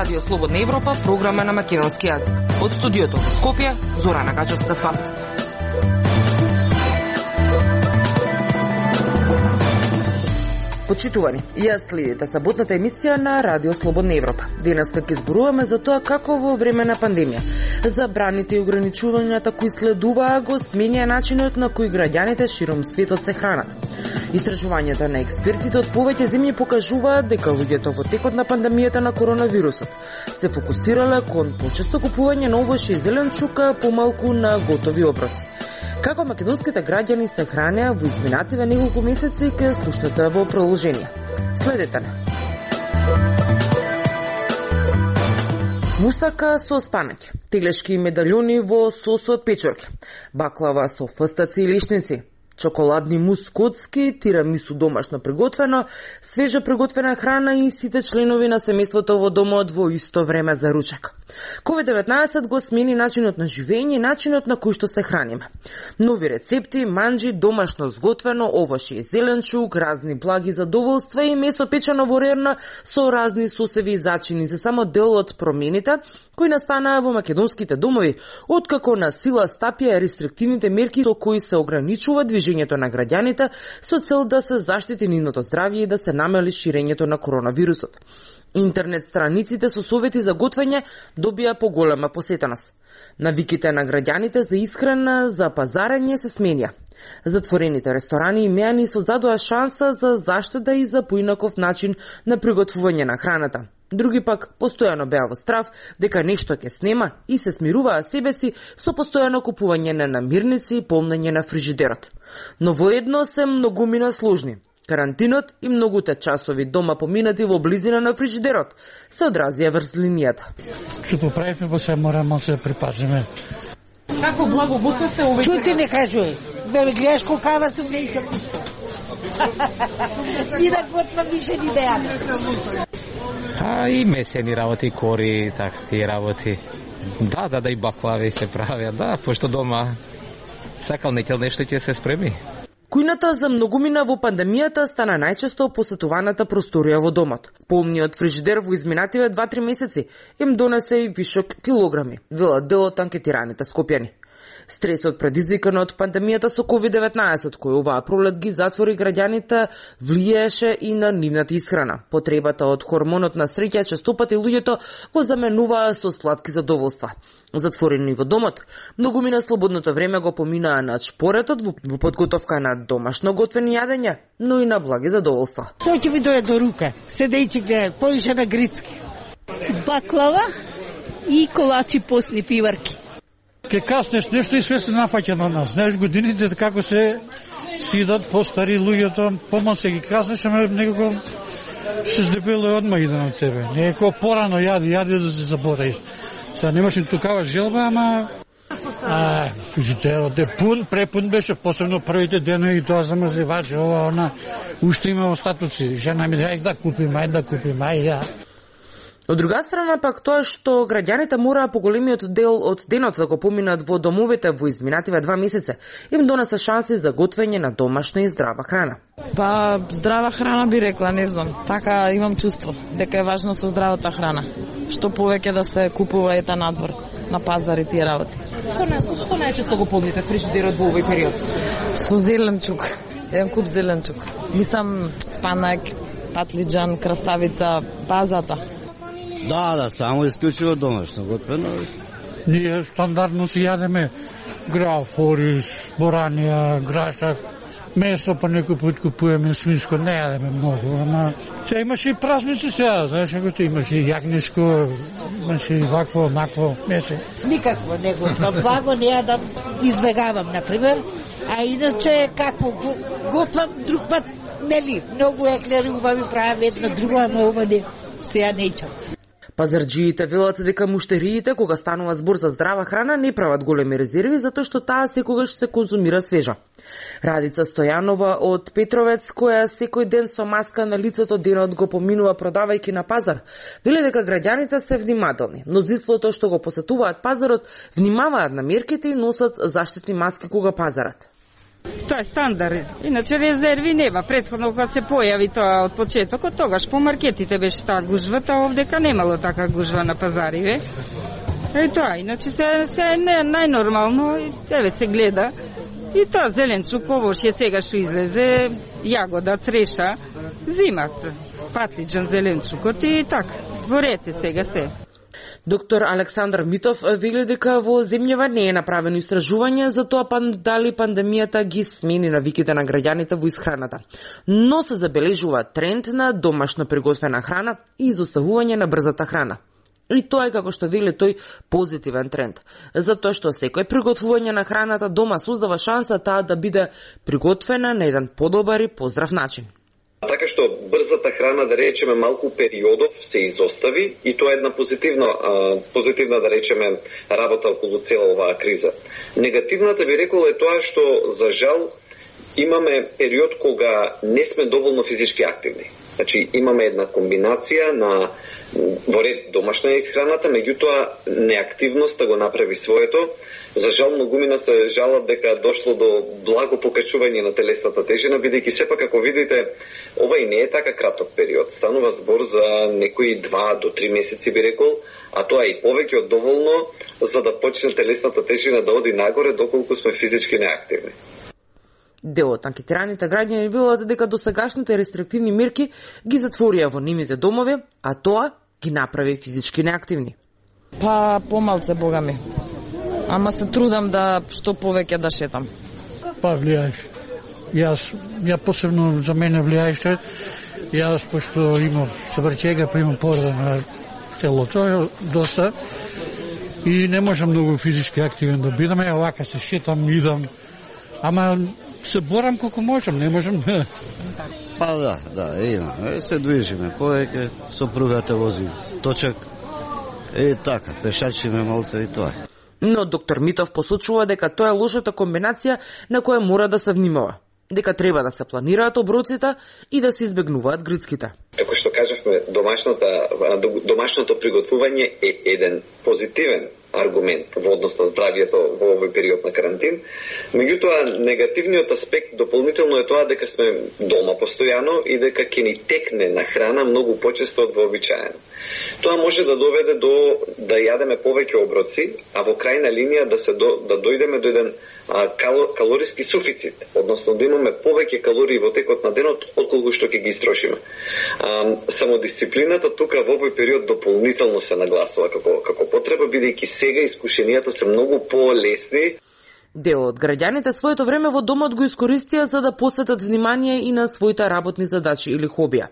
Радио Слободна Европа, програма на македонски јазик. Од студиото во Скопје, Зорана Гачевска-Спасовска. Почитувани, јас следите саботната емисија на Радио Слободна Европа. Денеска ќе зборуваме за тоа како во време на пандемија забраните и ограничувањата кои следуваа го сменија начинот на кој граѓаните широм светот се хранат. Истражувањата на експертите од повеќе земји покажуваат дека луѓето во текот на пандемијата на коронавирусот се фокусирале кон почесто купување на овошје и зеленчука, помалку на готови оброци. Како македонските граѓани се хранеа во изминативе неколку месеци ќе слушнете во продолжение. Следете не. Мусака со спанање, теглешки медалјони во сос од печорки, баклава со фстаци и лишници, чоколадни мус котски, тирамису домашно приготвено, свежа приготвена храна и сите членови на семејството во домот во исто време за ручек. COVID-19 го смени начинот на живење и начинот на кој што се храниме. Нови рецепти, манџи, домашно сготвено, овошје и зеленчук, разни благи задоволства и месо печено во рерна со разни сосеви и зачини се само дел од промените кои настанаа во македонските домови, откако на сила стапија рестриктивните мерки со кои се ограничува движењето на граѓаните со цел да се заштити нивното здравје и да се намали ширењето на коронавирусот. Интернет страниците со совети за готвење добија поголема посетеност. Навиките на граѓаните за исхрана, за пазарење се сменија. Затворените ресторани и мејани создадоа шанса за заштеда и за поинаков начин на приготвување на храната. Други пак постојано беа во страв дека нешто ќе снема и се смируваа себе си со постојано купување на намирници и полнење на фрижидерот. Но воедно се многумина сложни. Карантинот и многуте часови дома поминати во близина на фрижидерот се одразија врз линијата. Што поправивме, во се морамо да се припазиме. Како благо готвите овој? Чути не кажуј. Бе гледаш колкава сум не икам ништо. Ни да готвам више ни да јадам. И месени работи, кори, такви работи. Да, и баклави се правят, да, пошто дома сакал некел нешто ќе се спреми. Кујната за многумина во пандемијата стана најчесто посетуваната просторија во домот. Полниот фрижидер во изминативе 2-3 месеци им донесе и вишок килограми, велат дел од анкетираните скопјани. Стресот предизвикан од пандемијата со COVID-19, кој оваа пролет ги затвори граѓаните, влијаеше и на нивната исхрана. Потребата од хормонот на среќа честопати луѓето го заменуваа со сладки задоволства. Затворени во домот, многумина слободното време го поминаа на чпоретот во подготовка на домашно готвени јадења, но и на благи задоволства. Тој ќе ми дојде до рука, седејќи гледа, поише на грицки. Баклава и колачи постни пиварки. Ке каснеш нешто и све се нафаќа на нас. Знаеш годините како се сидат постари луѓето, помал се ги каснеш, ама некако се здебело одма иден од тебе. Некако порано јади да се забораиш. Сега немаш и тукава желба, ама фрижидерот е препун беше, посебно првите денови, тоа замрзевачи, ова, она, уште има остатоци. Жена ми ајде да купим, ајде. Од друга страна пак тоа што граѓаните мораа поголемиот дел од денот да го поминат во домовите во изминативе 2 месеца, им донесе шанси за готвење на домашна и здрава храна. Здрава храна би рекла, не знам. Така имам чувство дека е важно со здравата храна. Што повеќе да се купува ета надвор, на пазар и тие работи. Што најчесто го полните фрижидерот во овој период? Со зеленчук. Еден куп зеленчук. Мислам спанак, патлиџан, краставица, базата. Да, само исклучиво домашно готвено. Ние стандардно си јадеме граф, ориз, боранија, грашак, месо па некој пат купуваме свинско, не јадеме многу, ама се имаше и празници сега, знаеш како имаше и јагнешко, имаше и вакво, накво месо. Никакво не готвам, благо не јадам, избегавам, например, а иначе како готвам друг пат, нели, многу еклери убави правам едно друго, ама ова не, сега не ичам. Пазарџиите велат дека муштериите кога станува збор за здрава храна не прават големи резерви затоа што таа секогаш се конзумира свежа. Радица Стојанова од Петровец, која секој ден со маска на лицето денот го поминува продавајќи на пазар, вели дека граѓаните се внимателни. Мнозинството што го посетуваат пазарот внимаваат на мерките и носат заштитни маски кога пазарат. Тоа е стандард. Иначе резерви нема. Претходно кога се појави тоа од почетокот, тогаш по маркетите беше таа гужвата, овдека немало така гужва на пазариве. Тоа, иначе се е најнормално, еве се гледа. И тоа зеленчук, овошје сега што излезе, јагода, цреша, зимат, патлиџан, зеленчукот и така. Дворете сега се. Доктор Александар Митов вели дека во земјава не е направено истражување за тоа дали пандемијата ги смени навиките на граѓаните во исхраната. Но се забележува тренд на домашно приготвена храна и изоставување на брзата храна. И тоа е, како што вели тој, позитивен тренд. Затоа што секој приготвување на храната дома создава шанса таа да биде приготвена на еден подобар и поздрав начин. Така што брзата храна, да речеме, малку периодов се изостави и тоа е една позитивна, да речеме, работа околу цела оваа криза. Негативната би рекол е тоа што, за жал, имаме период кога не сме доволно физички активни. Значи, имаме една комбинација на во ред домашна исхраната, меѓутоа неактивноста го направи своето. За жал, многумина се жалат дека дошло до благо покачување на телесната тежина, бидејќи сепак, ако видите, ова и не е така краток период. Станува збор за некои 2 до 3 месеци, би рекол, а тоа е и повеќе од доволно за да почне телесната тежина да оди нагоре доколку сме физички неактивни. Дел од анкетираните граѓани велат дека досегашните рестриктивни мерки ги затворија во нивните домови, а тоа ги направи физички неактивни. Па помалце, бога ми. Ама се трудам да што повеќе да шетам. Па влијаеш. Ја посебно за мене влијаеше. Јас пошто имам сврчега, па имам повреда на телото доста и не можам многу физички активен да бидам. Вака се шетам, идам. Ама се борам колку можам, не можам. Па да, има. Се движиме повеќе, сопругата вози точак. Така, пешачиме малце и тоа. Но доктор Митов посочува дека тоа е лошата комбинација на која мора да се внимава. Дека треба да се планираат оброците и да се избегнуваат грицките. Како што кажавме, домашното приготвување е еден позитивен аргумент во однос на здравието во овој период на карантин. Меѓутоа, негативниот аспект дополнително е тоа дека сме дома постојано и дека ќе ни текне на храна многу почесто од вообичаено. Тоа може да доведе до да јадеме повеќе оброци, а во крајна линија да дојдеме до еден калориски суфицит, односно да имаме повеќе калории во текот на денот отколку што ќе ги истрошиме. Самодисциплината тука во овој период дополнително се нагласува како потреба, бидејќи сега искушенијата се многу полесни. Дел од граѓаните своето време во домот го искористија за да посветат внимание и на своите работни задачи или хобија.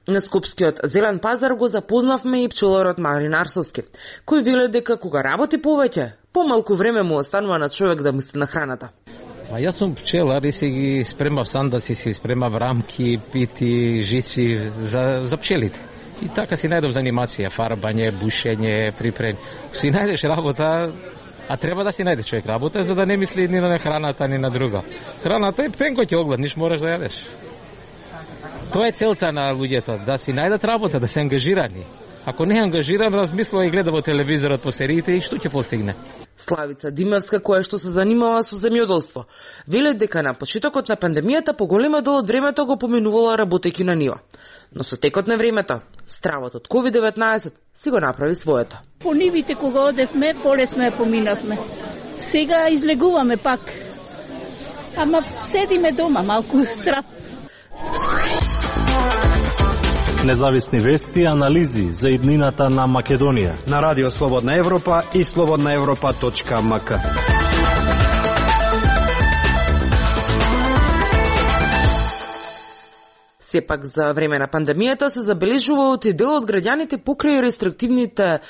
На Скопскиот зелен пазар го запознавме и пчеларот Марин Арсовски, кој веле дека кога работи повеќе, помалку време му останува на човек да мисли на храната. Јас сум пчелар и си ги спремав сандаци, си спремав рамки, пити, жици за пчелите. И така си најдов занимација, фарбање, бушење, припрем. Си најдеш работа, а треба да си најдеш човек работа за да не мисли ни на храната, ни на друга. Храната е птенко ќе огладниш, мораш да јадеш. Тоа е целта на луѓето, да си најдат работа, да се ангажирани. Ако не е ангажиран, размислува и гледа во телевизорот по сериите и што ќе постигне. Славица Димевска, која што се занимава со земјоделство, веле дека на почетокот на пандемијата поголема дел од времето го поминувала работејќи на нива. Но со текот на времето, стравот од COVID-19 си го направи своето. По нивите кога одевме, полесно ја поминавме. Сега излегуваме пак. Ама седиме дома, малку страв. Независни вести и анализи за иднината на Македонија на Радио Слободна Европа и slobodnaevropa.mk. Сепак за време на пандемијата се забележува од дел од граѓаните покрај рестриктивните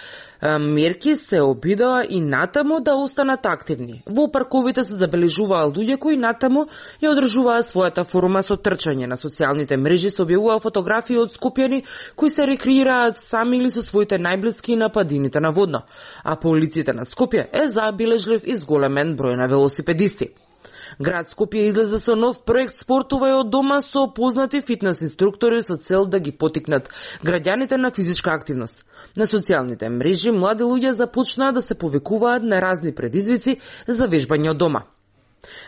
мерки се обидоа и натаму да останат активни. Во парковите се забележуваа луѓе кои натаму ја одржуваа својата форма со трчање. На социјалните мрежи се објавуваа фотографии од скопјани кои се рекреираат сами или со своите најблиски на падините на водно, а по улиците на Скопје е забележлив и зголемен број на велосипедисти. Град Скопје излезе со нов проект Спортувај од дома со познати фитнес инструктори со цел да ги потикнат граѓаните на физичка активност. На социјалните мрежи млади луѓе започнаа да се повикуваат на разни предизвици за вежбање од дома.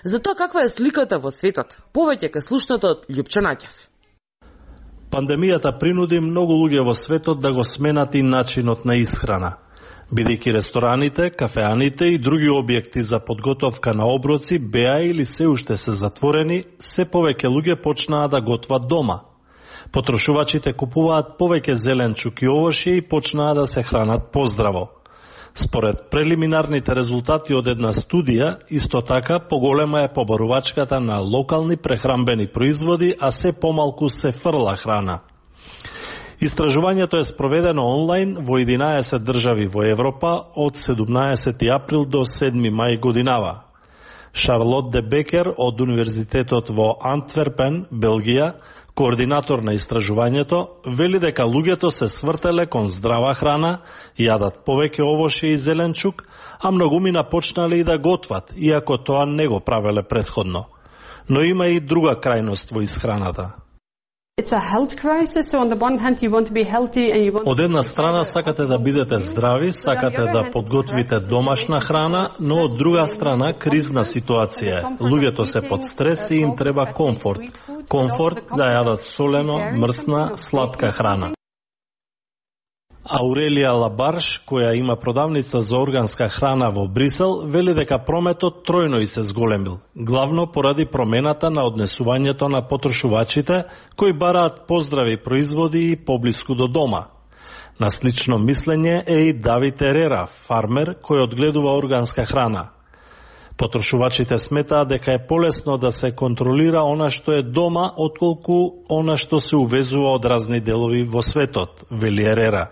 За тоа каква е сликата во светот, повеќе ка слушнато од Љупчо Наќев. Пандемијата принуди многу луѓе во светот да го сменат и начинот на исхрана. Бидејќи рестораните, кафеаните и други објекти за подготовка на оброци беа или се уште се затворени, се повеќе луѓе почнаа да готват дома. Потрошувачите купуваат повеќе зеленчук и овошје и почнаа да се хранат поздраво. Според прелиминарните резултати од една студија, исто така поголема е побарувачката на локални прехранбени производи, а се помалку се фрла храна. Истражувањето е спроведено онлайн во 11 држави во Европа од 17 април до 7 мај годинава. Шарлот де Бекер од Универзитетот во Антверпен, Белгија, координатор на истражувањето, вели дека луѓето се свртеле кон здрава храна, јадат повеќе овошје и зеленчук, а многумина почнале и да готват, иако тоа не го правеле претходно. Но има и друга крајност во исхраната. Од една страна сакате да бидете здрави, сакате да подготвите домашна храна, но од друга страна кризна ситуација. Луѓето се под стрес и им треба комфорт. Комфорт да јадат солено, мрсна, сладка храна. Аурелија Лабарш, која има продавница за органска храна во Брисел, вели дека прометот тројно и се зголемил, главно поради промената на однесувањето на потрошувачите, кои бараат поздрави производи и поблиску до дома. На слично мислење е и Давид Ерера, фармер кој одгледува органска храна. Потрошувачите сметаат дека е полесно да се контролира она што е дома, отколку она што се увезува од разни делови во светот, вели Ерера.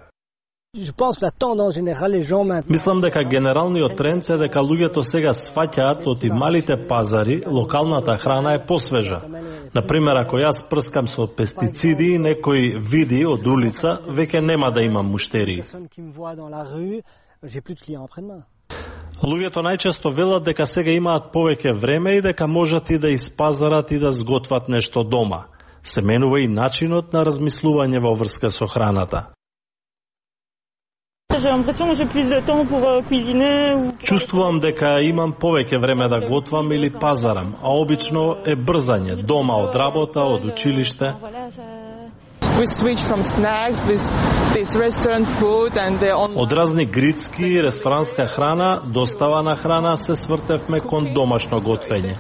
Мислам дека генералниот тренд е дека луѓето сега сфаќаат од и малите пазари, локалната храна е посвежа. Например, ако јас прскам со пестициди и некој види од улица, веќе нема да имам муштерии. Луѓето најчесто велат дека сега имаат повеќе време и дека можат и да испазарат и да сготват нешто дома. Се менува и начинот на размислување во врска со храната. Чувствувам дека имам повеќе време да готвам или пазарам, а обично е брзање, дома од работа, од училиште. Од разни грицки и ресторанска храна, достава на храна се свртевме кон домашно готвење.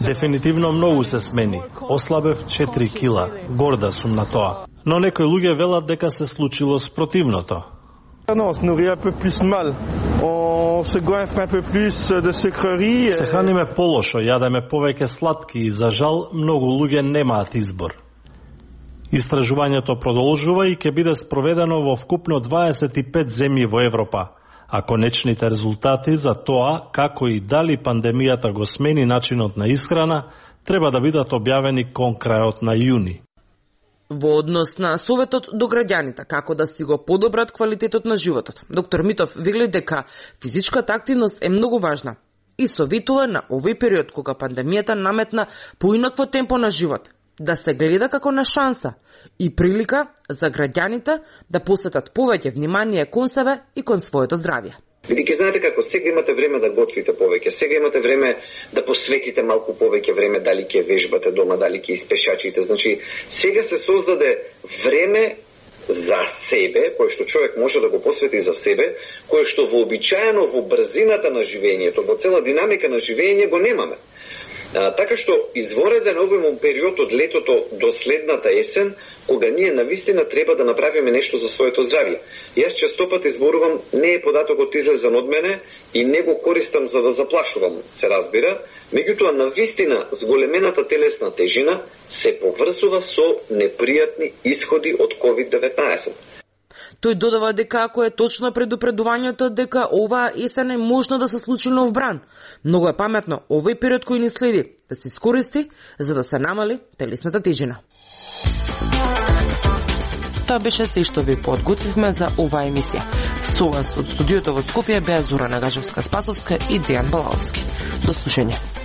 Дефинитивно многу се смени. Ослабев 4 кила, горда сум на тоа. Но некои луѓе велат дека се случило спротивното. Се храниме полошо, јадеме повеќе сладки и за жал многу луѓе немаат избор. Истражувањето продолжува и ќе биде спроведено во вкупно 25 земји во Европа, а конечните резултати за тоа како и дали пандемијата го смени начинот на исхрана треба да бидат објавени кон крајот на јуни. Во однос на советот до граѓаните како да си го подобрат квалитетот на животот, доктор Митов вели дека физичката активност е многу важна и советува на овој период кога пандемијата наметна поинакво темпо на живот, да се гледа како на шанса и прилика за граѓаните да посветат повеќе внимание кон себе и кон своето здравје. Бидејќи знаете како сега имате време да готвите повеќе, сега имате време да посветите малку повеќе време дали ќе вежбате дома, дали ќе испешачите. Значи, сега се создаде време за себе, кое што човек може да го посвети за себе, кое што вообичаено во брзината на живењето, во цела динамика на живење го немаме. Така што извореден обемен период од летото до следната есен, кога ние навистина треба да направиме нешто за своето здравје. Јас честопат изборувам, не е податокот излезен од мене и не го користам за да заплашувам, се разбира, меѓутоа навистина зголемената телесна тежина се поврзува со непријатни исходи од COVID-19. Тој додава дека ако е точно предупредувањето дека оваа есен е можно да се случи нов бран, многу е паметно овој период кој ни следи да се искористи за да се намали телесната тежина. Тоа беше се што ви подготвивме за оваа емисија. Со вас од студиото во Скопје беа Зора Нагажевска-Спасовска и Дејан Балаовски. До слушање.